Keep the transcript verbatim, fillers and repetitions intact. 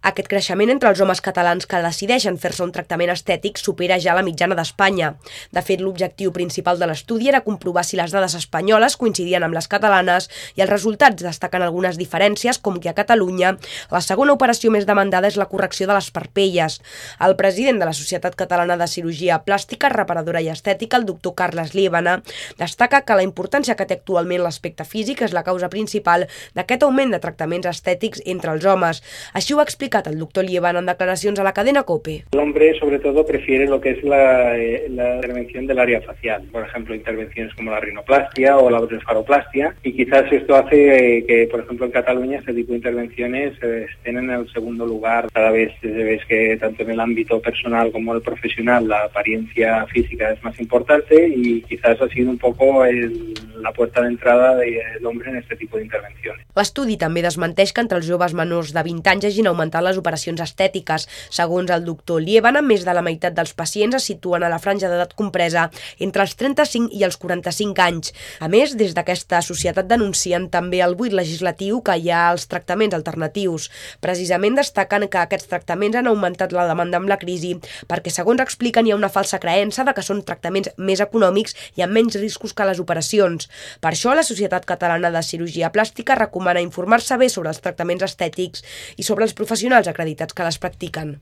Aquest creixement entre els homes catalans que decideixen fer-se un tractament estètic supera ja la mitjana d'Espanya. De fet, l'objectiu principal de l'estudi era comprovar si les dades espanyoles coincidien amb les catalanes i els resultats destaquen algunes diferències, com que a Catalunya la segona operació més demandada és la correcció de les parpelles. El president de la Societat Catalana de Cirurgia Plàstica, Reparadora i Estètica, el doctor Carles Liébana, destaca que la importància que té actualment l'aspecte físic és la causa principal d'aquest augment de tractaments estètics entre els homes. Així ho ha explicat el doctor Liébana en declaracions a la cadena COPE. El hombre sobre todo prefiere lo que es la, eh, la intervención del área facial, por ejemplo intervenciones como la rinoplastia o la blefaroplastia, y quizás esto hace eh, que por ejemplo en Cataluña este tipo de intervenciones eh, estén en el segundo lugar. Cada vez se ve que tanto en el ámbito personal como el profesional la apariencia física es más importante y quizás ha sido un poco el, la puerta de entrada del hombre en este tipo de intervenciones. L'estudi també desmenteix que entre els joves menors de vint anys hagin augmentat les operacions estètiques. Segons el doctor Liébana, més de la meitat dels pacients es situen a la franja d'edat compresa entre els trenta-cinc i els quaranta-cinc anys. A més, des d'aquesta societat denuncien també el buit legislatiu que hi ha als tractaments alternatius. Precisament destaquen que aquests tractaments han augmentat la demanda amb la crisi perquè, segons expliquen, hi ha una falsa creença de que són tractaments més econòmics i amb menys riscos que les operacions. Per això, la Societat Catalana de Cirurgia Plàstica recomana informar-se bé sobre els tractaments estètics i sobre els professionals acreditats que les practiquen.